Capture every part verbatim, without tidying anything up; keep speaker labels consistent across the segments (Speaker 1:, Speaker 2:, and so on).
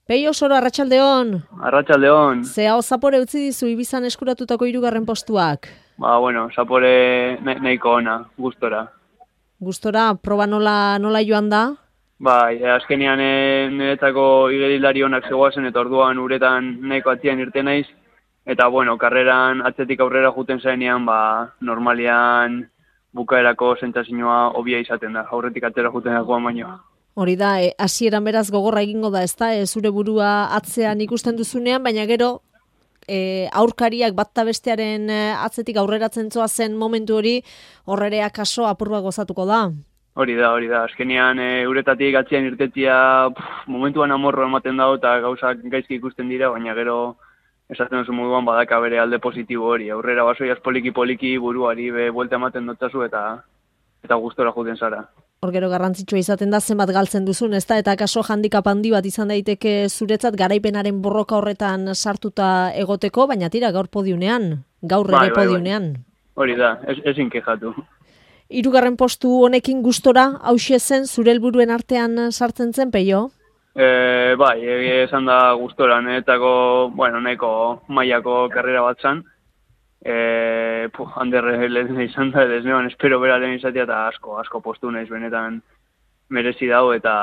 Speaker 1: Peio Soro, arratsaldeon.
Speaker 2: Arratsaldeon.
Speaker 1: Ze hau zapore utzi dizu Ibizan eskuratutako hirugarren postuak?
Speaker 2: Ba, bueno, zapore nahiko ona, gustora.
Speaker 1: Gustora, proba nola, nola joan da?
Speaker 2: Bai, azkenean niretzako igerilari onak zegoazen eta orduan uretan nahiko atzian irte naiz. Eta, bueno, karreran atzetik aurrera juten zaenean, ba, normalian bukaerako sentsazioa hobia izaten da, aurretik atzera juten dagoan baino.
Speaker 1: Hori da, e, hasieran beraz gogorra egingo da, ezta? E, zure burua atzean ikusten duzunean, baina gero e, aurkariak batta bestearen atzetik aurreratzen zoazen momentu hori, horrerea kaso apurba gozatuko da.
Speaker 2: Hori da, hori da. Azkenean e, uretatik atzean irtetzia pff, momentuan amorro ematen dago eta gauzak gaizki ikusten dira, baina gero esaten duzu moduan badaka bere alde positibo hori. Aurrera basoiaz poliki-poliki buruari be buelta ematen dotzazu eta eta gustora juten zara.
Speaker 1: Hor gero garrantzitsua izaten da zenbat galtzen duzun, ezta? Eta kaso handikap handi bat izan daiteke zuretzat garaipenaren borroka horretan sartuta egoteko, baina tira gaur podiunean, gaur ere
Speaker 2: bai, bai,
Speaker 1: podiunean.
Speaker 2: Bai. Hori da, ez, ezin kejatu.
Speaker 1: Hirugarren postu honekin gustora hauxe zen zure helburuen artean sartzen zen, Peio?
Speaker 2: E, bai, egia esan da gustora, niretzako, bueno, nahiko mailako karrera bat zan. E, puh, handerre lehen izan da, ez neban espero bera lehen izatea eta asko, asko postu naiz benetan merezi dago eta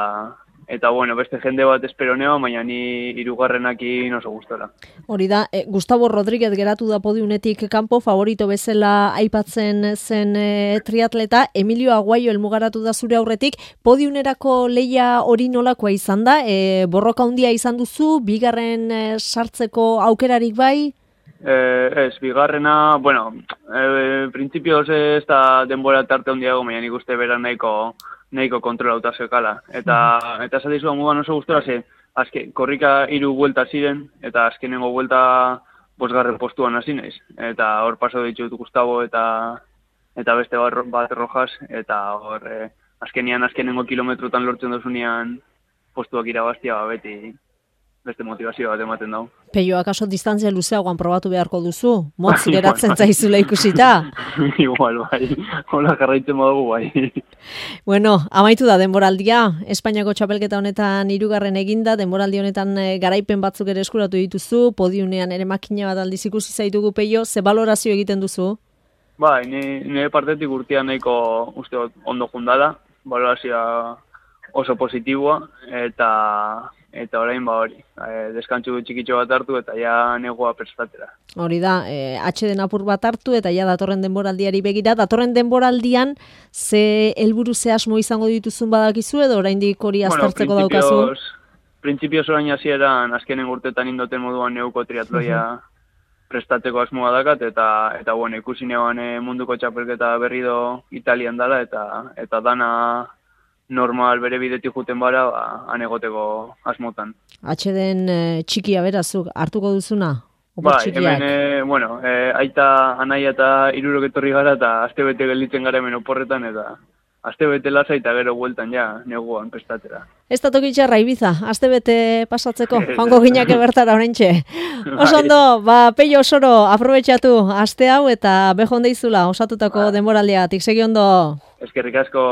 Speaker 2: eta bueno, beste jende bat espero neo, baina ni hirugarrenakin oso gustora.
Speaker 1: Hori da, e, Gustavo Rodríguez geratu da podiunetik kanpo, favorito bezala aipatzen zen e, triatleta, Emilio Aguayo helmugaratu da zure aurretik, podiunerako leia hori nolakoa izan da, e, borroka handia izan duzu, bigarren e, sartzeko aukerarik bai?
Speaker 2: Eh, ez, bigarrena, bueno, eh, printzipioz ez da denbora tarte handiago, baina nik uste bera nahiko, nahiko kontrolauta zekala. Eta, eta esatizu amugan oso gustora ze, azke, korrika hiru buelta ziren, eta azkenengo buelta bosgarren postuan hasi naiz. Eta hor paso ditut Gustavo eta eta beste bat, bat Rojas, eta hor eh, azkenean azkenengo kilometrotan lortzen dozunean postuak irabaztia ba, beti beste motivazio bat ematen dago.
Speaker 1: Peio, akaso distantzia luzeagoan probatu beharko duzu? Motz geratzen zaizula ikusita?
Speaker 2: Igual, bai. Hola jarraitzen badugu, bai.
Speaker 1: Bueno, amaitu da denboraldia. Espainiako txapelketa honetan hirugarren eginda, denboraldi honetan garaipen batzuk ere eskuratu dituzu, podiunean ere makina bat aldiz ikusi zaitugu, Peio, ze balorazio egiten duzu?
Speaker 2: Bai, nire partetik urtean nahiko uste ondo jundala, balorazioa oso positiboa, eta eta orain ba hori, e, deskantzu txikitxo bat hartu eta ja negoa prestatera.
Speaker 1: Hori da, e, atxeden apur bat hartu eta ja datorren denboraldiari begira, datorren denboraldian ze helburu ze asmo izango dituzun badakizu edo oraindik hori aztertzeko bueno, daukazu?
Speaker 2: Printzipioz orain hasieran azkenen urtetan indoten moduan neuko triatloia uh -huh. prestatzeko asmoa dakat eta eta bueno, ikusi neoan e, munduko txapelketa berri do Italian dala eta eta dana normal bere bidetik juten bara, ba, anegoteko asmotan.
Speaker 1: Atxeden e, txikia berazuk hartuko duzuna?
Speaker 2: Bai, hemen, e, bueno, e, aita, anaia eta hirurok etorri gara eta astebete gelditzen gara hemen oporretan eta astebete lasa eta gero bueltan ja, neguan prestatera.
Speaker 1: Ez da tokitxarra Ibiza, astebete pasatzeko, joango ginake bertara oraintxe. Oso ondo, ba, Peio Soro, aprobetxatu aste hau eta bejon deizula osatutako denboraldiatik, segi ondo.
Speaker 2: Eskerrik asko.